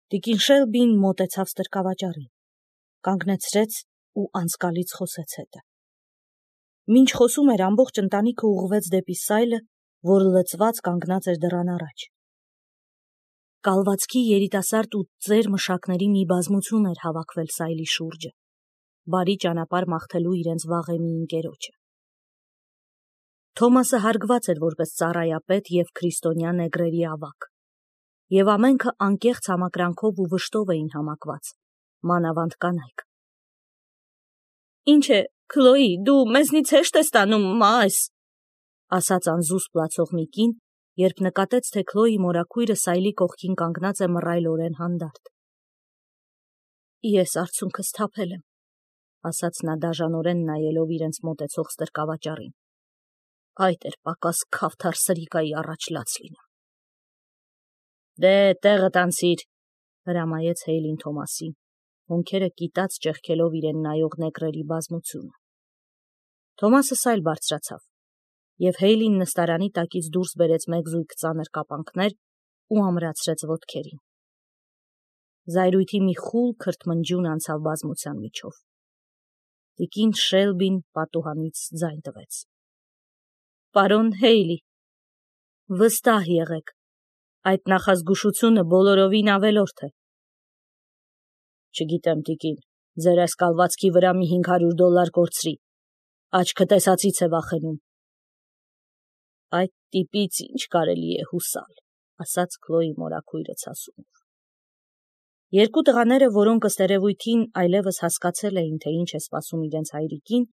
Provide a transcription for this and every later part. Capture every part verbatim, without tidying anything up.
Տիկին Շելբին մոտեցավ ստրկավաճառին, կանգնեցրեց ու անցկալից խոսեց հետը։ Մինչ խոսում էր, ամբողջ ընտանիքը ուղղվեց դեպի սայլը, որ լցված կանգնած էր դռան առաջ։ Կալվածքի երիտասարդ ու ծեր մշակների մի բազմություն էր հավաքվել սայլի շուրջը, բարի ճանապարհ մաղթելու իրենց վաղեմի ընկերոջը։ Թոմասը հարգված էր որպես ծառայապետ և քրիստոնյա նեգրերի ավագ, և ամենքը անկեղծ համակրանքով ու վշտով էին համակված, մանավանդ կանայք։ Ինչ է, Քլոյի, դու մեզնից հեշտ ես տանում, մաս, ասաց անզուսպ լացող մի կին, երբ նկատեց, թե Քլոյի մորաքույրը սայլի կողքին կանգնած է մռայլորեն հանդարտ։ Ես արցունքս թափել եմ, ասաց նա դաժանորեն նայելով իրենց մոտեցող ստրկավաճառին։ Այդ էր պակաս քավթար սրիկայի առաջ լաց լինում։ Դե տեղդ անցիր, հրամայեց Հեյլին Թոմասին, հոնքերը կիտած ճեղքելով իրեն նայող նեգրերի բազմությունը։ Թոմասը սայլ բարձրացավ, և Հեյլին նստարանի տակից դուրս բերեց մեկ զույգ ծանր կապանքներ ու ամրացրեց ոտքերին։ Զայրույթի մի խուլ քրթմնջյուն անցավ բազմության միջով։ Տիկին Շելբին պատուհանից ձայն տվեց։ Պարոն Հեյլի, վստահ եղեք, այդ նախազգուշությունը բոլորովին ավելորդ է։ Չգիտեմ, տիկին, ձեր այս կալվածքի վրա մի հինգ հարյուր դոլար կորցրի, աչքը տեսածից է վախենում։ Այդ տիպից ինչ կարելի է հուսալ, ասաց Քլոյի մորաքույրը ցասումով։ Երկու տղաները, որոնք ըստ երևույթին այլևս հասկացել էին, թե ինչ է սպասում իրենց հայրիկին,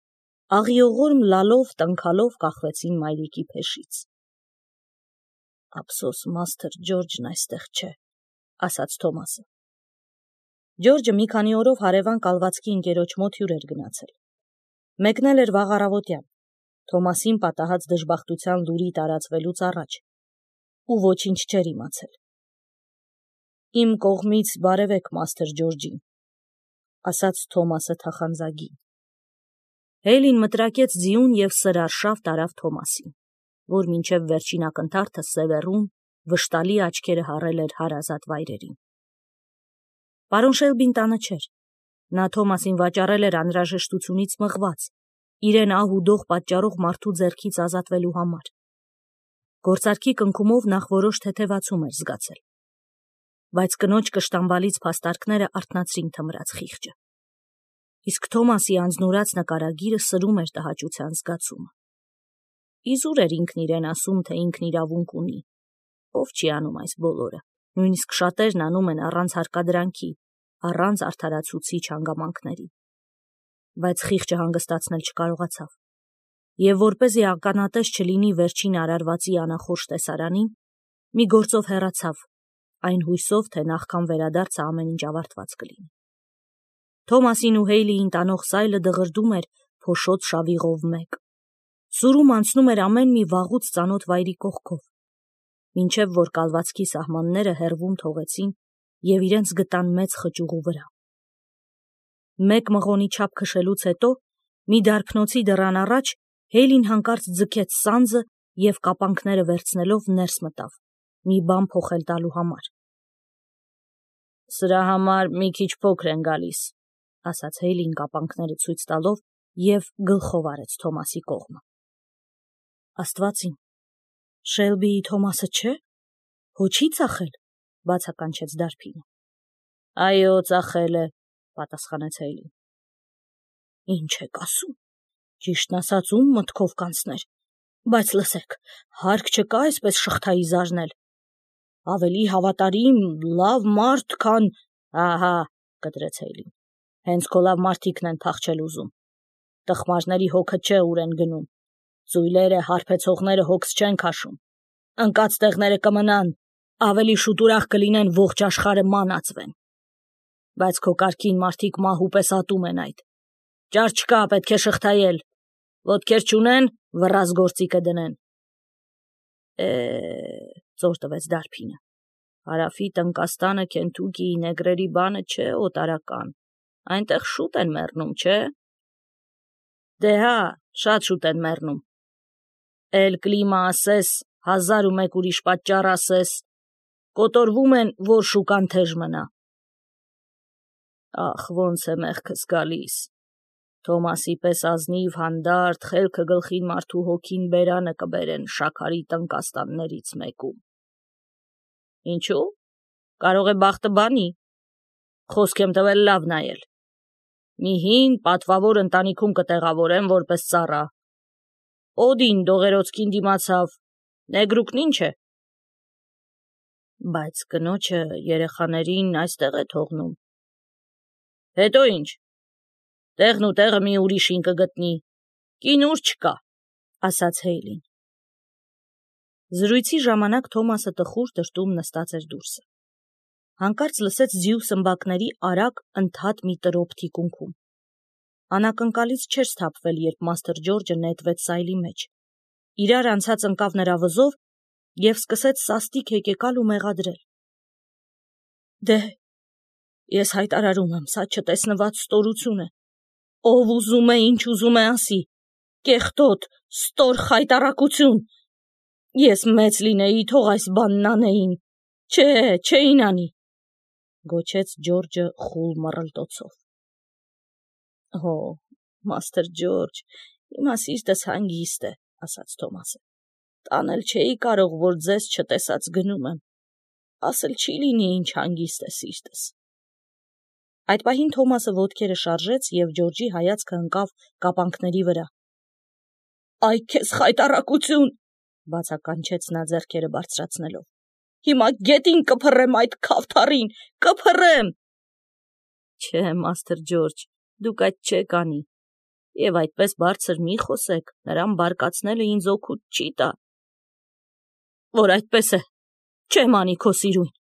աղիողորմ լալով, տնքալով կախվեցին մայրիկի փեշից։ Ափսոս մաստր Ջորջն այստեղ չէ, ասաց Թոմասը։ Ջորջը մի քանի օրով հարևան կալվածքի ընկերոջ մոտ հյուր էր գնացել։ Մեկնել էր վաղ առավոտյան, Թոմասին պատահած դժբախտության լուրի տարածվելուց առաջ, ու ոչինչ չէր իմացել։ Իմ կողմից բարևեք մաստր Ջորջին, ասաց Թոմասը թախանձագին։ Հեյլին մտրակեց ձիուն և սրարշավ տարավ Թոմասին, որ մինչև վերջին ակնթարթը սևեռուն, վշտալի աչքերը հառել էր հարազատ վայրերին։ Պարոն Շելբին տանը չէր, նա Թոմասին վաճառել էր անհրաժեշտությունից մղված, իրեն ահ ու դող պատճառող մարդու ձեռքից ազատվելու համար։ Գործարքի կնքումով նախ որոշ թեթևացում էր զգացել, բայց կնոջ կշտամբալից փաստարկները արթնացրին թմրած խիղճը։ Իսկ Թոմասի անձնուրաց նկարագիրը սրում էր տհաճության զգացումը։ Իզուր էր ինքն իրեն ասում, թե ինքն իրավունք ունի, ով չի անում այս բոլորը, նույնիսկ շատերն անում են առանց հարկադրանքի, առանց արդարացուցիչ հանգամանքների։ Բայց խիղճը հանգստացնել չկարողացավ, և որպեսզի ականատես չլինի վերջին արարվածի անախորժ տեսարանին, մի գործով հեռացավ, այն հույսով, թե նախքան վերադարձը ամեն ինչ ավարտված կլինի։ Թոմասին ու Հեյլիին տանող սայլը դղրդում էր փոշոտ շավիղով մեկ։ Սուրում անցնում էր ամեն մի վաղուց ծանոթ վայրի կողքով, մինչև որ կալվածքի սահմանները հեռվում թողեցին և իրենց գտան մեծ խճուղու վրա։ Մեկ մղոնի չափ քշելուց հետո, մի դարբնոցի դռան առաջ, Հեյլին հանկարծ ձգեց սանձը և կապանքները վերցնելով ներս մտավ, մի բան փոխել տալու համար։ Սրա համար մի քիչ փոքր են գալիս, ասաց Հեյլին կապանքները ցույց տալով և գլխով արեց Թոմասի կողմը։ Աստված իմ, Շելբիի Թոմասը չէ՞, հո չի ծախել, բացականչեց դարբինը։ Այո, ծախել է, պատասխանեց Հեյլին։ Ինչ եք ասում, ճիշտն ասած, ում մտքով կանցներ, բայց լսեք, հարկ չկա այսպես շղթայի զարնել։ Ավելի հավատարիմ, լավ մարդ, քան… Ահա, կտրեց Հեյլին, հենց քո լավ մարդիկն են փախչել ուզում։ Տխմարների հոգը չէ ուր են գնում, ծույլերը, հարբեցողները հոգս չեն քաշում, ընկած տեղները կմնան, ավելի շուտ ուրախ կլինեն ողջ աշխարհը մանածվեն։ Բայց քո կարգին մարդիկ մահու պես ատում են այդ։ Ճար չկա, պետք է շղթայել, ոտքեր չունեն, վռազ գործիքը դնեն։ Է, ծոր տվեց դարբինը, Հարավի Տնկաստանը Քենթուկիի նեգրերի բանը չէ օտարական, այնտեղ շուտ են մեռնում, չէ։ Դե հա, շատ շուտ են մեռնում։ Էլ կլիմա ասես, հազար ու մեկ ուրիշ պատճառ ասես, կոտորվում են, որ շուկան թեժ մնա։ Ախ, ոնց է մեղքս գալիս։ Թոմասի պես ազնիվ հանդարտ, խելքը գլխին մարդու հոգին բերանը կբերեն շաքարի տնկաստաններից մեկում։ Ինչու՞։ Կարող է բախտը բանի։ Խոսք եմ տվել լավ նայել։ Մի հին պատվավոր ընտանիքում կտեղավորեմ որպես ծառա։ Օդին դողերոցքին դիմացավ, նեգրուկն ինչ է։ Բայց կնոջը երեխաներին այստեղ է թողնում։ Հետո ինչ։ Տեղն ու տեղը մի ուրիշին կգտնի։ Կին ուր չկա, ասաց Հեյլին։ Զրույցի ժամանակ Թոմասը տխուր դրտում նստած էր դուրսը։ Հանկարծ լսեց ձիու սմբակների արագ ընդհատ մի տրոփ թիկունքում։ Անակնկալից չէր սթափվել, երբ Մաստր Ջորջը նետվեց սայլի մեջ։ Իրար անցած ընկավ նրա վզով և սկսեց սաստիկ հեկեկալ ու մեղադրել։ Դե, ես հայտարարում եմ, սա չտեսնված ստորություն է։ Ով ուզում է, ինչ ուզում է ասի։ Կեղտոտ, ստոր խայտառակություն։ Ես մեծ լինեի, թող այս բանն անեին։ Չէ, չէին անի, գոչեց Ջորջը խուլ մռլտոցով։ Հո, Մաստր Ջորջ, հիմա սիրտս հանգիստ է, ասաց Թոմասը։ Տանել չէի կարող, որ ձեզ չտեսած գնում եմ։ Ասել չի լինի, ինչ հանգիստ է սիրտս։ Այդ պահին Թոմասը ոտքերը շարժեց և Ջորջի հայացքը ընկավ կապանքների վրա։ Այ քեզ խայտառակություն, բացականչեց նա ձեռքերը բարձրացնելով։ Հիմա գետին կփռեմ այդ քավթառին, կփռեմ։ Չէ, Մաստր Ջորջ, դուք այդ չեք անի։ Եվ այդպես բարձր մի խոսեք, նրան բարկացնելը ինձ օգուտ չի տա։ Որ այդպես է, չեմ անի քո սիրուն։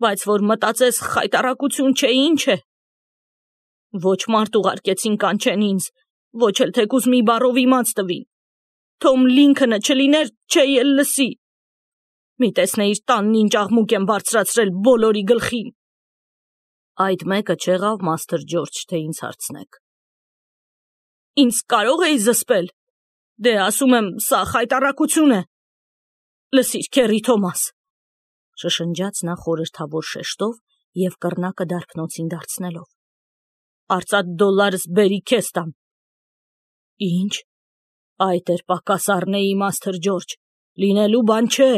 Բայց որ մտածես խայտառակություն չէ, ինչ է։ Ոչ մարդ ուղարկեցին կանչեն ինձ, ոչ էլ թեկուզ մի բառով իմաց տվին։ Թոմ Լինքընը չլիներ, չէի էլ լսի։ Մի տեսնեիր տանն ինչ աղմուկ եմ բարձրացրել բոլորի գլխին։ Այդ մեկը չեղավ, Մաստր Ջորջ, թե ինձ հարցնեք։ Ինձ կարող էի զսպել։ Դե ասում եմ, սա խայտառակություն է։ Լսիր, քեռի Թոմաս, շշնջաց նա խորհրդավոր շեշտով և կռնակը դարբնոցին դարձնելով։ Արծաթ դոլարս բերի քեզ տամ։ Ինչ։ Այդ էր պակաս առնեի, Մաստր Ջորջ, լինելու բան չէ,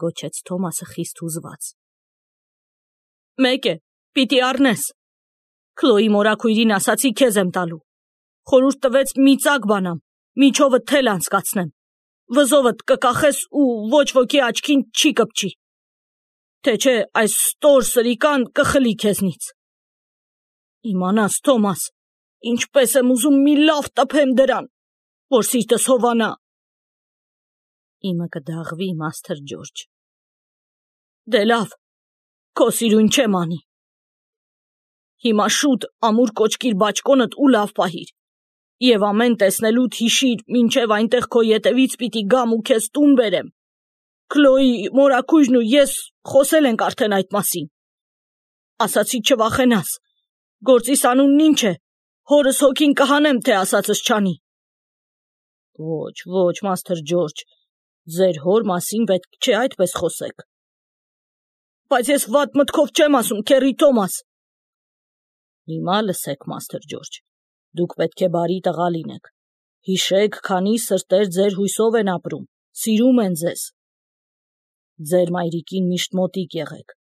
գոչեց Թոմասը խիստ հուզված։ Մեկ է, պիտի առնես։ Քլոյի մորաքույրին ասացի քեզ եմ տալու։ Խորհուրդ տվեց մի ծակ բանամ, միջովը թել անցկացնեմ։ Վզովդ կկախես ու ոչ ոքի աչքին չի կպչի։ Թե չէ այս ստոր սրիկան կխլի քեզնից։ Իմանաս, Թոմաս, ինչպես եմ ուզում մի լավ տփեմ դրան, որ սիրտս հովանա։ Իմը կդաղվի, Մաստր Ջորջ։ Դե լավ, քո սիրուն չեմ անի։ Հիմա շուտ ամուր կոճկիր բաճկոնդ ու լավ պահիր։ Եվ ամեն տեսնելուդ հիշիր, մինչև այնտեղ քո ետևից պիտի գամ ու քեզ տուն բերեմ։ Քլոյի մորաքույրն ու ես խոսել ենք արդեն այդ մասին։ Ասացի չվախենաս։ Գործիս անունն ինչ է։ Հորս հոգին կհանեմ, թե ասածս չանի։ Ոչ, ոչ, Մաստր Ջորջ, ձեր հոր մասին պետք չէ այդպես խոսեք։ Բայց ես վատ մտքով չեմ ասում, քեռի Թոմաս։ Հիմա լսեք, Մաստր Ջորջ, դուք պետք է բարի տղա լինեք։ Հիշեք, քանի սրտեր ձեր հույսով են ապրում, սիրում են ձեզ։ Ձեր մայրիկին միշտ մոտիկ եղեք։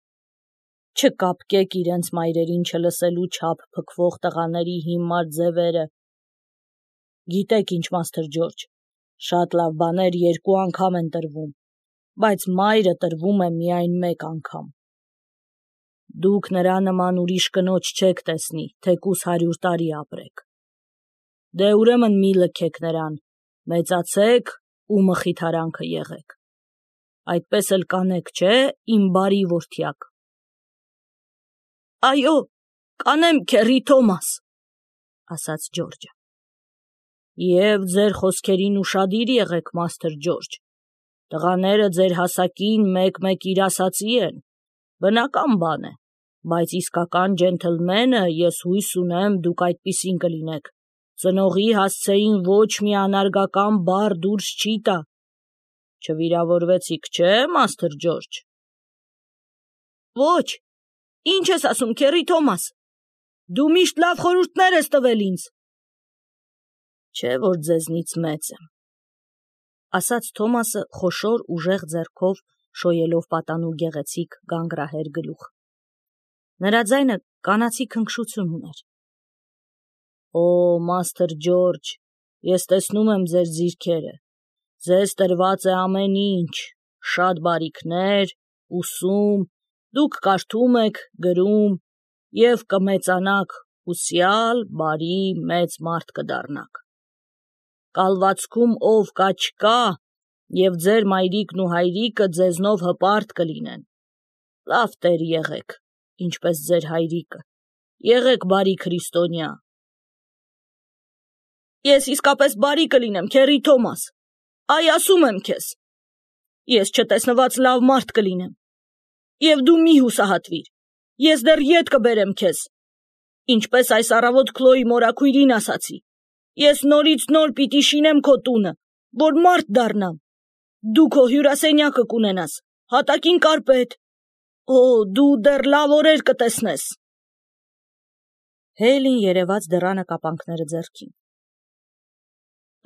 Չկապկեք իրենց մայրերին չլսելու չափ փքվող տղաների հիմար ձևերը։ Գիտեք ինչ, Մաստր Ջորջ, շատ լավ բաներ երկու անգամ են տրվում, բայց մայրը տրվում է միայն մեկ անգամ։ Դուք նրա նման ուրիշ կնոջ չեք տեսնի, թեկուզ հարյուր տարի ապրեք։ Դե ուրեմն մի լքեք նրան, մեծացեք ու մխիթարանքը եղեք։ Այդպես էլ կանեք, չէ, իմ բարի որդյակ։ Այո, կանեմ, քեռի Թոմաս, ասաց Ջորջը։ Եվ ձեր խոսքերին ուշադիր եղեք, Մաստր Ջորջ։ Տղաները ձեր հասակին մեկ-մեկ իր ասացի են, բնական բան է, բայց իսկական ջենթլմենը ես հույս ունեմ դուք այդպիսին կլինեք։ Ծնողի հասցեին ոչ մի անարգական բառ դուրս չի տա։ Չվիրավորվեցիք, չէ, Մաստր Ջորջ։ Ոչ, ինչ ես ասում, քեռի Թոմաս, Դու միշտ լավ խորհուրդներ ես տվել ինձ։ Չէ՞ որ ձեզնից մեծ եմ, ասաց Թոմասը խոշոր ուժեղ ձեռքով շոյելով պատանու գեղեցիկ գանգրահեր գլուխ։ Նրա ձայնը կանացի քնքշություն ուներ։ Օ, Մաստր Ջորջ, ես տեսնում եմ ձեր ձիրքերը, ձեզ տրված է ամեն ինչ, շատ բարիքներ, ուսում, դուք կարդում եք, գրում, և կմեծանաք, հուսյալ, բարի, մեծ մարդ կդառնաք։ Կալվածքում ով կա չկա, և ձեր մայրիկն ու հայրիկը ձեզնով հպարտ կլինեն։ Լավ տեր եղեք, ինչպես ձեր հայրիկը, եղեք բարի քրիստոնյա։ Ես իսկապես բարի կլինեմ, քեռի Թոմաս, այ ասում եմ քեզ, ես չտեսնված լավ մարդ կլինեմ, և դու մի հուսահատվիր, ես դեռ ետ կբերեմ քեզ, ինչպես այս առավոտ Քլոյի մորաքույրին ասացի, ես նորից նոր պիտի շինեմ քո տունը, որ մարդ դառնամ, դու քո հյուրասենյակը կունենաս, հատակին կարպետ, օ, դու դեռ լավ օրեր կտեսնես։ Հեյլին երևաց դռանը կապանքները ձեռքին։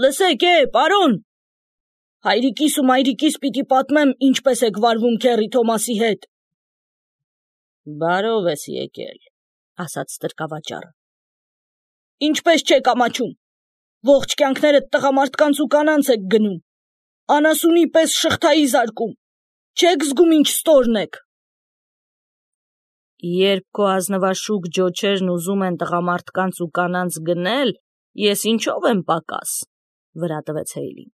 Լսեք, է, պարոն, հայրիկիս ու մայրիկիս պիտի պատմեմ, ինչպես եք վարվում քեռի Թոմասի հետ։ Բարով ես եկել, ասաց ստրկավաճառը։ Ինչպես չեք ամաչում, ողջ կյանքներդ տղամարդկանց ու կանանց եք գնում, անասունի պես շղթայի զարկում, չեք զգում ինչ ստորն եք։ Երբ քո ազնվաշուք ջոչերն ուզում են տղամարդկանց ու կանանց գնել, ես ինչով եմ պակաս, վրա տվեց Հեյլին։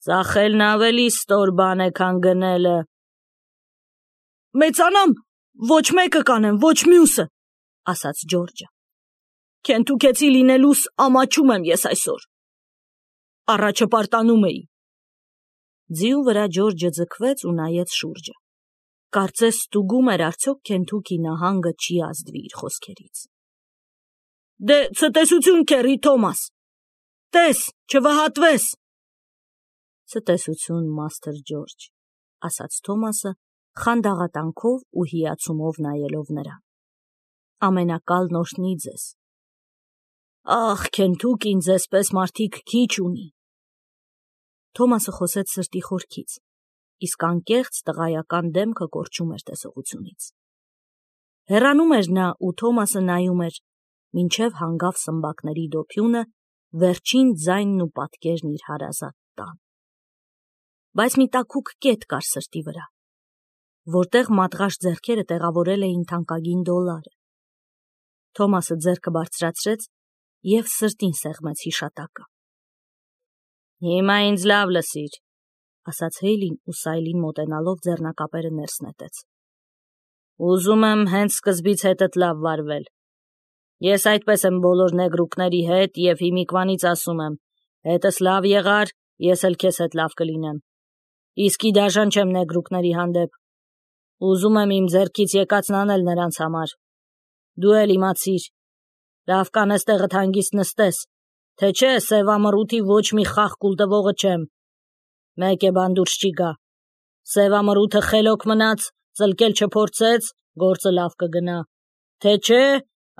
Ծախելն ավելի ստոր բան է, քան գնելը։ Մեծանամ, ոչ մեկը կանեմ, ոչ մյուսը, ասաց Ջորջը։ Քենթուքեցի լինելուս ամաչում եմ ես այսօր։ Առաջը պարտանում էի։ Ձիու վրա Ջորջը ձգվեց ու նայեց շուրջը։ Կարծես ստուգում էր արդյոք Քենթուքի նահանգը չի ազդվի իր խոսքերից։ Դե ցտեսություն, քեռի Թոմաս, տես, չվհատվես։ Ցտեսություն, Մաստր Ջորջ, ասաց Թոմասը, խանդաղատանքով ու հիացումով նայելով նրան։ Ամենակալն օրհնի ձեզ։ Ախ, Քենթուքին ձեզպես մարդիկ քիչ ունի։ Թոմասը խոսեց սրտի խորքից, իսկ անկեղծ տղայական դեմքը կորչում էր տեսողությունից։ Հեռանում էր նա ու Թոմասը նայում էր, մինչև հանգավ սմբակների դոփյունը, վերջին ձայնն ու պատկերն իր հարազատ տան։ Բայց մի տաքուկ կետ կար սրտի վրա, որտեղ մատղաշ ձեռքերը տեղավորել էին թանկագին դոլարը։ Թոմասը ձեռքը բարձրացրեց և սրտին սեղմեց հիշատակը։ Հիմա ինձ լավ լսիր, ասաց Հեյլին ու Սայլին մոտենալով ձեռնակապերը ներս նետեց։ Ուզում եմ հենց սկզբից հետդ լավ վարվել։ Ես այդպես եմ բոլոր նեգրուկների հետ և հիմիկվանից ասում եմ, հետս լավ եղար, ես էլ քեզ հետ լավ կլինեմ։ Իսկի դաժան չեմ նեգրուկների հանդեպ։ Ուզում եմ իմ ձեռքից եկածն անել նրանց համար։ Դու էլ իմացիր, լավ կանես տեղդ հանգիստ նստես, թե չէ սևամռութի ոչ մի խաղ կուլտվողը չեմ։ Մեկ է բան դուրս չի գա։ Սևամռութը խելոք մնաց, ծլկել չփորձեց, գործը լավ կգնա։ Թե չէ,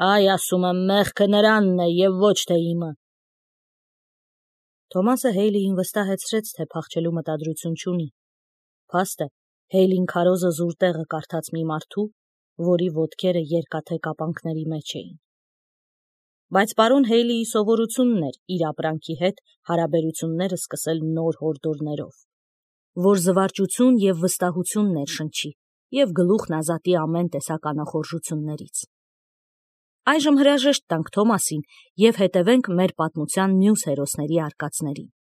այ ասում եմ, մեղքը նրանն է և ոչ թե իմը։ Թոմասը Հեյլիին վստահեցրեց, թե փախչելու մտադրություն չունի։ Փաստ է, Հեյլին քարոզը զուր տեղը կարդաց մի մարդու, որի ոտքերը երկաթե կապանքների մեջ էին։ Բայց պարոն Հեյլիի սովորությունն էր իր ապրանքի հետ հարաբերությունները սկսել նոր հորդորներով, որ զվարճություն և վստահություն ներշնչի և գլուխն ազատի ամեն տեսակ անախորժություններից։ Այժմ հրաժեշտ տանք Թոմասին և հետևենք մեր պատմության մյուս հերոսների արկածներին։